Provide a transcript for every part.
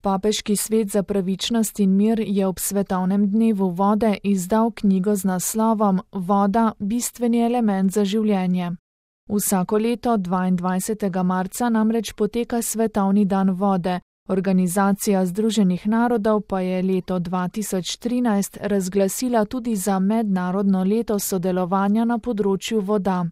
Papeški svet za pravičnost in mir je ob svetovnem dnevu vode izdal knjigo z naslovom Voda – bistveni element za življenje. Vsako leto 22. marca namreč poteka Svetovni dan vode, Organizacija Združenih narodov pa je leto 2013 razglasila tudi za mednarodno leto sodelovanja na področju voda.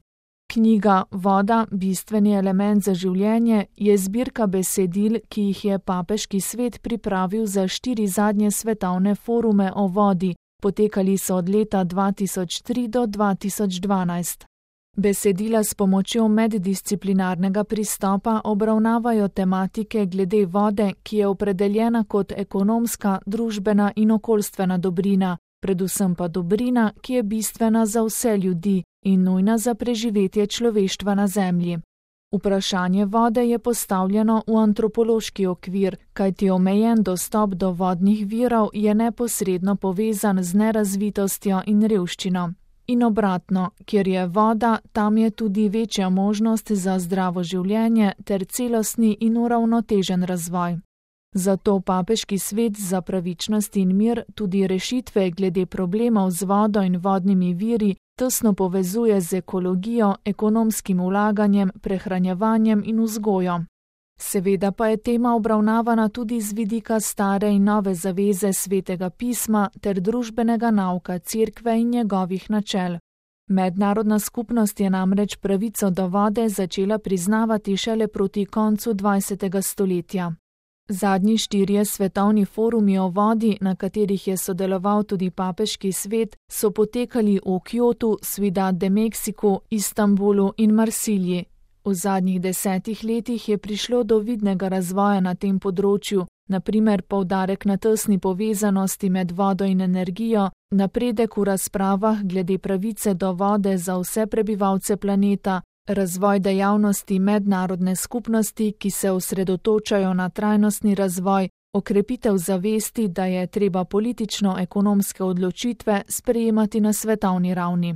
Knjiga Voda – bistveni element za življenje je zbirka besedil, ki jih je Papeški svet pripravil za 4 zadnje svetovne forume o vodi, potekali so od leta 2003 do 2012. Besedila s pomočjo meddisciplinarnega pristopa obravnavajo tematike glede vode, ki je opredeljena kot ekonomska, družbena in okoljstvena dobrina, predvsem pa dobrina, ki je bistvena za vse ljudi in nujna za preživetje človeštva na Zemlji. Vprašanje vode je postavljeno v antropološki okvir, kajti omejen dostop do vodnih virov je neposredno povezan z nerazvitostjo in revščino. In obratno, kjer je voda, tam je tudi večja možnost za zdravo življenje ter celostni in uravnotežen razvoj. Zato Papeški svet za pravičnost in mir tudi rešitve glede problemov z vodo in vodnimi viri tesno povezuje z ekologijo, ekonomskim vlaganjem, prehranjevanjem in vzgojo. Seveda pa je tema obravnavana tudi z vidika stare in nove zaveze Svetega pisma ter družbenega nauka Cerkve in njegovih načel. Mednarodna skupnost je namreč pravico do vode začela priznavati šele proti koncu 20. stoletja. Zadnji 4 svetovni forumi o vodi, na katerih je sodeloval tudi Papeški svet, so potekali v Kyotu, Ciudad de México, Istanbulu in Marsilji. V zadnjih 10 letih je prišlo do vidnega razvoja na tem področju, na primer poudarek na tesni povezanosti med vodo in energijo, napredek v razpravah glede pravice do vode za vse prebivalce planeta, razvoj dejavnosti mednarodne skupnosti, ki se osredotočajo na trajnostni razvoj, okrepitev zavesti, da je treba politično-ekonomske odločitve sprejemati na svetovni ravni.